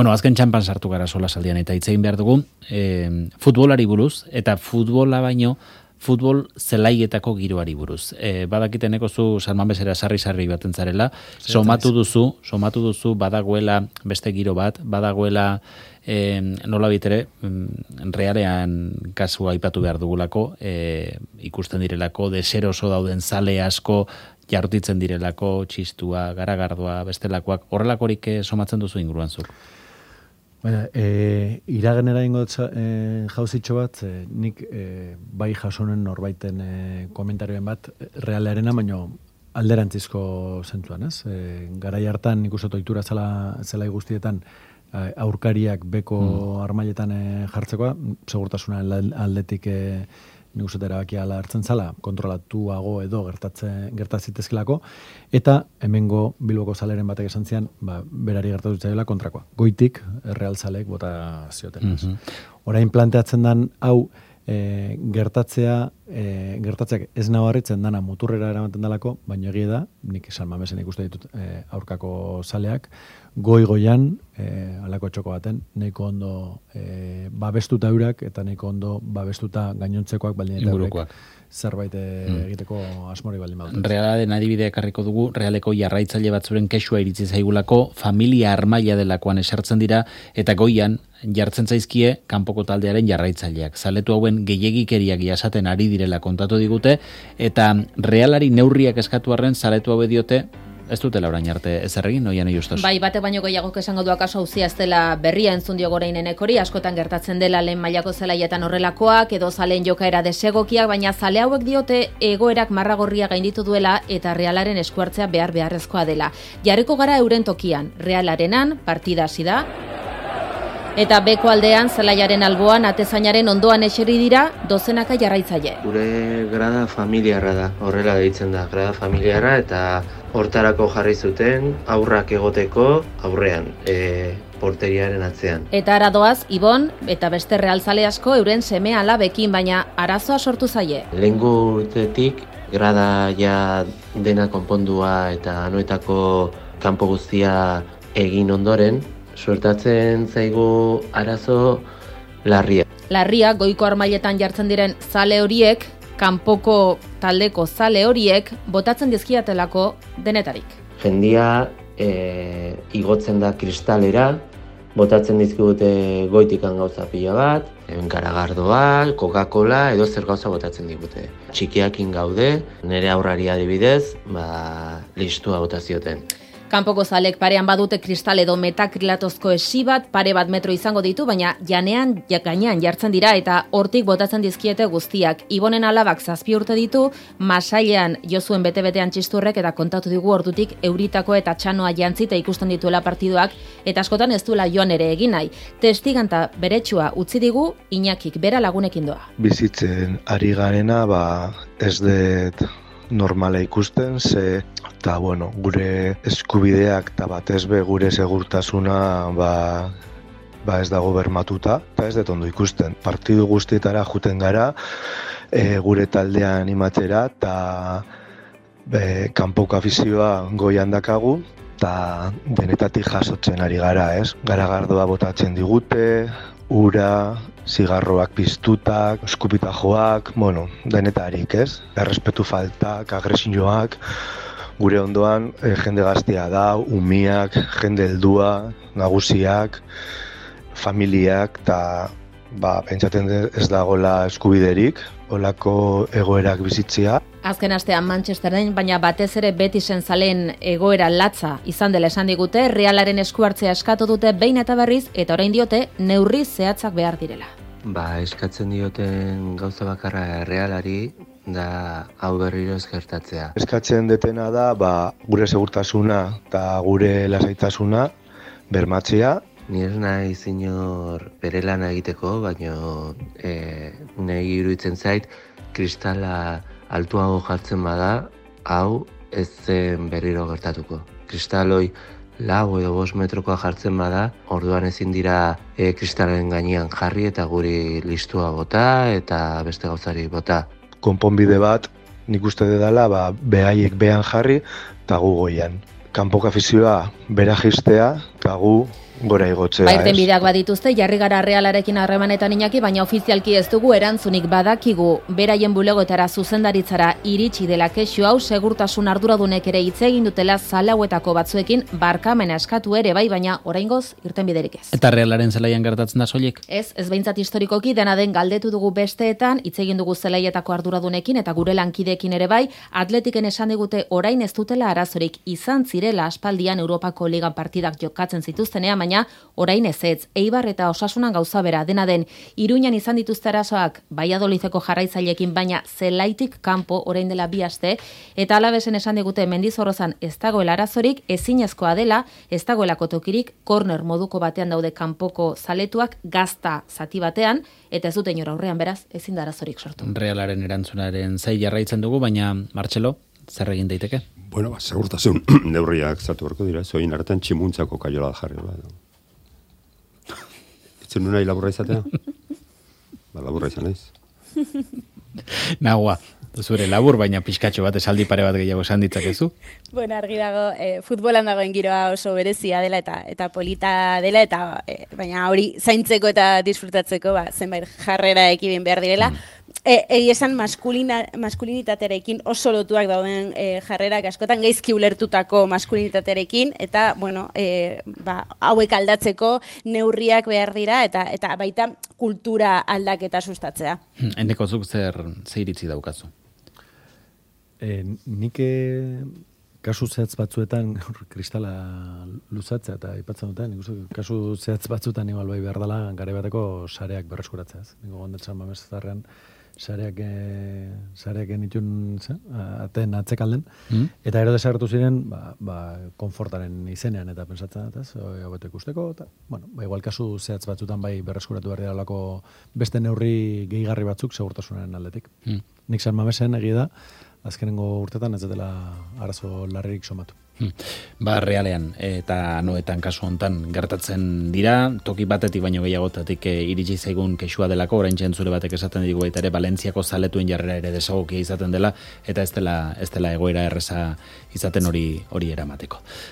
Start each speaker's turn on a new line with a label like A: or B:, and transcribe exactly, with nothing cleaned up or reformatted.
A: Bueno, azken txampan sartu gara sola saldian eta hitz egin behar dugu e, futbolari buruz, eta futbola baino futbol zelaietako giroari buruz. E, badakiteneko zu San Mamesera sarri-sarri baten zarela, somatu duzu, somatu duzu badagoela beste giro bat, badagoela e, nola bitere, realean kasua aipatu behar dugulako, e, ikusten direlako, deseroso dauden zale asko, jartitzen direlako, txistua, garagardoa, bestelakoak, horrelakorik somatzen duzu inguruan zuk?
B: Baina, e, iragenera ingo e, jauzitxo bat, e, nik e, bai jasonen norbaiten e, komentarioen bat, realearena, baino alderantzizko zentuan, ez? E, garai hartan nik uste ohitura zela, zela guztietan e, aurkariak beko mm. armailetan e, jartzekoa, segurtasuna aldetik e, nik uste erabakia ala hartzen zala, kontrolatuago edo gertatzen gertatzitezkelako, eta hemengo Bilboko zaleren batek esan zian, ba, berari gertatu zaiola kontrakoa. Goitik, Real zaleek bota zioten. Mm-hmm. Orain planteatzen dan, hau, e, gertatzea, e, gertatzeak ez nabarritzen dana muturrera eramaten dalako, baina egia da, nik San Mamesen ikuste ditut e, aurkako zaleak, goi-goian, e, alako txoko baten, nahiko ondo e, babestuta eurak, eta nahiko ondo babestuta gainontzekoak baldin eta eurek zerbait egiteko asmori baldin badut.
A: Realaren adibidea ekarriko dugu, realeko jarraitzaile batzuren kexua iritzi zaigulako, familia armaila delakoan esertzen dira, eta goian jartzen zaizkie kanpoko taldearen jarraitzaileak. Zaletu hauen gehiegikeriak jasaten ari direla kontatu digute, eta realari neurriak eskatu arren zaletu haue diote, ez dutela orain arte ezer egin, noian justos.
C: Bai, bate baino gehiagok esango du akaso auzia ez dela berria entzun dio gorainenek hori, askotan gertatzen dela lehen mailako zelaietan horrelakoak, edo zaleen jokaera desegokiak, baina zale hauek diote egoerak marragorria gainditu duela eta Realaren eskuartzea behar beharrezkoa dela. Jarriko gara euren tokian, Realarenan, partida hasi da, eta beko aldean, zelaiaren alboan, atezainaren ondoan eseri dira, dozenaka jarraitzaile.
D: Gure grada familiarra da, horrela deitzen da, grada familiarra, eta hortarako jarri zuten aurrak egoteko aurrean, e, porteriaren atzean.
C: Eta aradoaz, Ibon, eta beste realzale asko euren seme alabekin, baina arazoa sortu zaie.
D: Lehengo urtetik, grada ja dena konpondua eta anoetako kanpo guztia egin ondoren, suertatzen zaigu arazo larria.
C: Larria, goiko armailetan jartzen diren zale horiek, kanpoko taldeko zale horiek, botatzen dizkiatelako denetarik.
D: Jendia e, igotzen da kristalera, botatzen dizkigute goitikan gauza pila bat, garagardoa, Coca-Cola, edo zer gauza botatzen digute. Txikiakin gaude, nire aurrari adibidez, ba, listua botazioten.
C: Kanpoko zalek parean badute kristal edo metakrilatozko esi bat, pare bat metro izango ditu, baina janean gainean jartzen dira eta hortik botatzen dizkiete guztiak. Ibonen alabak zazpi urte ditu, masailean jozuen bete-betean txisturrek eta kontatu digu ordutik euritako eta txanoa jantzita ikusten dituela partiduak, eta askotan ez duela joan ere egin nahi. Testiganta beretsua utzi digu, Iñakik bera lagunekin doa.
E: Bizitzen ari garena, ba, ez dut normala ikusten, ze eta bueno, gure eskubideak eta batez be gure segurtasuna ba, ba ez dago bermatuta, eta ez dut ondo ikusten. Partidu guztietara juten gara, e, gure taldea animatzera, eta e, kanpoko afizioa goian dakagu, eta denetatik jasotzen ari gara, ez? Garagardoa botatzen digute, ura, zigarroak piztutak, eskupitajoak, bueno, denetarik, ez? Errespetu faltak, agresioak, gure ondoan e, jende gaztea da, umiak, jende heldua, nagusiak, familiak, eta ba, pentsatzen ez dagoela eskubiderik, olako egoerak bizitzea.
C: Azken astean Manchesteren, baina batez ere Betisen zaleen egoera latza izan dela esan digute, Realaren esku hartzea eskatu dute behin eta berriz, eta orain diote neurri zehatzak behar direla.
D: Ba, eskatzen dioten gauza bakarra Realari, da hau berriro ez gertatzea.
E: Eskatzen detena da, ba, gure segurtasuna eta gure lasaitasuna bermatzea.
D: Ni ez nahi zinor bere lana egiteko, baina e, nahi iruditzen zait, kristala altuago jartzen bada, hau ez zen berriro gertatuko. Kristaloi lau edo bost metrokoa jartzen bada, orduan ezin dira e, kristalen gainean jarri eta guri listua bota eta beste gauzari bota.
E: Konponbide bat, nik uste dela, ba, behaiek behan jarri eta gu goian. Kanpoko afizioa bera jistea eta gu gora igotzea.
C: Bairten bideak badituzte, jarri gara Realarekin harremanetan Iñaki, baina ofizialki ez dugu erantzunik badakigu. Beraien bulegotara zuzendaritzara iritsi dela kexu hau, segurtasun arduradunek ere hitz egin dutela zalauetako batzuekin barkamena eskatu ere bai, baina oraingoz irten biderik ez.
A: Eta Realaren zelaian gertatzen da soilik?
C: Ez, ez behintzat historikoki, dena den galdetu dugu besteetan, hitz egin dugu zelaietako arduradunekin eta gure lankideekin ere bai, Atletiken esan digute orain ez dutela arazorik, izan zirela aspaldian Europako Liga partidak jokatzen zituztenean, baina orain ez ez. Eibar eta Osasunan gauza bera, dena den Iruñan izan dituzte arazoak Valladolideko jarraitzaileekin, baina zelaitik kanpo orain dela bi aste, eta Alavesen esan digute Mendizorrozan ez dagoela arazorik, ezinezkoa dela, ez dagoelako tokirik, corner moduko batean daude kanpoko zaletuak, gazta zati batean, eta ez dute inor aurrean, beraz, ezin da arazorik sortu.
A: Realaren erantzunaren zai jarraitzen dugu, baina Martxelo, zer egin daiteke?
F: Bueno, ba, segurtasun neurriak zatu berko dira, zoin hartan tximuntzako kaiola da jarri. Ba. Itzen nuna laburra izatea? Ba, laburra izan naiz.
A: Nahua, zure labur, baina pixkatxo bat esaldi pare bat gehiago esan ditzakezu?
G: Bueno, argi dago, eh, futbolan dagoen giroa oso berezia dela eta eta polita dela, eta eh, baina hori zaintzeko eta disfrutatzeko ba, zenbait jarrera ekibin behar direla. Mm. E, Egi esan maskulina, maskulinitatearekin oso lotuak dauden e, jarrerak askotan gaizki ulertutako maskulinitatearekin, eta bueno, e, ba, hauek aldatzeko neurriak behar dira, eta eta baita kultura aldaketa sustatzea.
A: Eneko zuk zer zeiritzi daukazu?
B: E, nik e, kasu zehatz batzuetan kristala luzatzea eta aipatzen duten, nik kasu zehatz batzuetan igual bai behar dela gare bateko sareak berreskuratzea. Nik gondetzen mamezarrean sareak e, sareak genitun aten atzekalden, mm. eta ero desagertu ziren ba, ba, konfortaren izenean, eta pensatzen dut, ez, hobeto ikusteko, eta, bueno, ba, igual kasu zehatz batzutan bai berreskuratu behar dira beste neurri gehigarri batzuk segurtasunaren aldetik. Mm. Nik San Mamesen egia da, azkenengo urtetan ez dela arazo larririk somatu.
A: Ba, Realean eta Anoetan kasu hontan gertatzen dira, toki batetik baino gehiagotatik e, iritsi zaigun kexua delako, orain zure batek esaten digu baita ere Valentziako zaletuen jarrera ere desagokia izaten dela, eta ez dela, ez dela egoera erreza izaten hori hori eramateko.